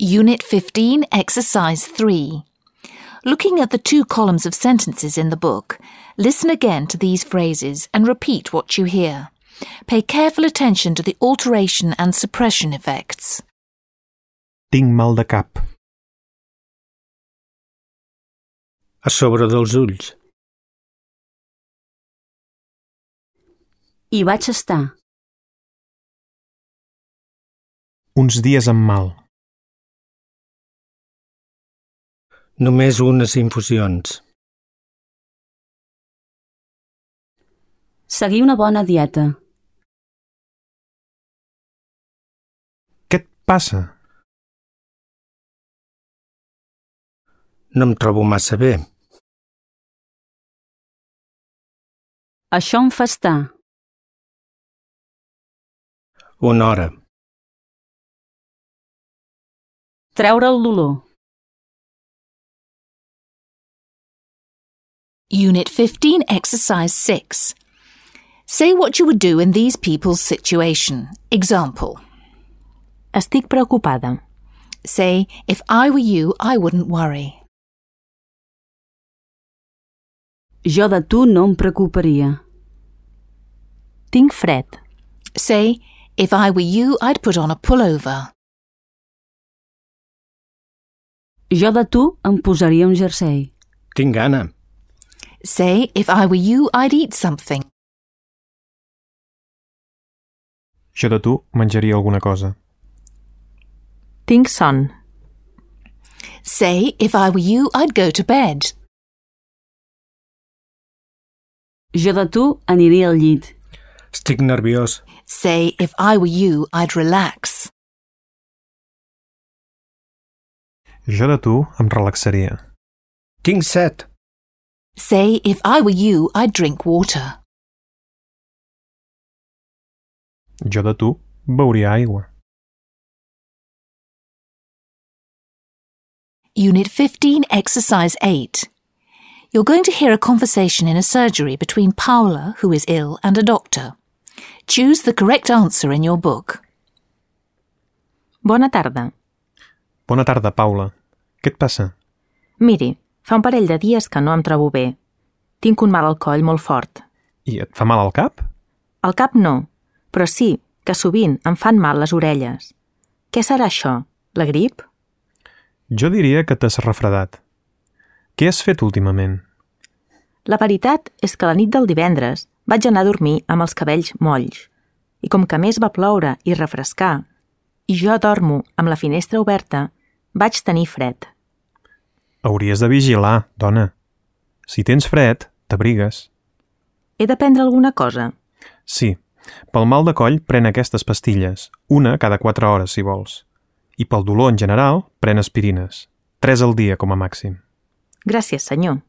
Unit 15, Exercise 3. Looking at the 2 columns of sentences in the book, listen again to these phrases and repeat what you hear. Pay careful attention to the alteration and suppression effects. Tinc mal de cap. A sobre dels ulls. Hi vaig estar. Uns dies amb mal. Només unes infusions. Seguir una bona dieta. Què et passa? No em trobo massa bé. Això em fa estar. Una hora. Treure el dolor. Unit 15, Exercise 6. Say what you would do in these people's situation. Example. Estic preocupada. Say, if I were you, I wouldn't worry. Jo de tu no em preocuparia. Tinc fred. Say, if I were you, I'd put on a pullover. Jo de tu em posaria un jersei. Tinc gana. Say, if I were you, I'd eat something. Jo de tu menjaria alguna cosa. Tinc son. Say, if I were you, I'd go to bed. Jo de tu aniria al llit. Estic nerviós. Say, if I were you, I'd relax. Jo de tu em relaxaria. Tinc set. Say, if I were you, I'd drink water. Jo de tu beuria aigua. Unit 15, Exercise 8. You're going to hear a conversation in a surgery between Paula, who is ill, and a doctor. Choose the correct answer in your book. Bona tarda. Bona tarda, Paula. Què et passa? Miri, fa un parell de dies que no em trobo bé. Tinc un mal al coll molt fort. I et fa mal al cap? Al cap no, però sí que sovint em fan mal les orelles. Què serà això? La grip? Jo diria que t'has refredat. Què has fet últimament? La veritat és que la nit del divendres vaig anar a dormir amb els cabells molls. I com que a més va ploure i refrescar, i jo dormo amb la finestra oberta, vaig tenir fred. Hauries de vigilar, dona. Si tens fred, t'abrigues. He de prendre alguna cosa? Sí. Pel mal de coll, pren aquestes pastilles. Una cada 4 hores, si vols. I pel dolor en general, pren aspirines. 3 al dia, com a màxim. Gràcies, senyor.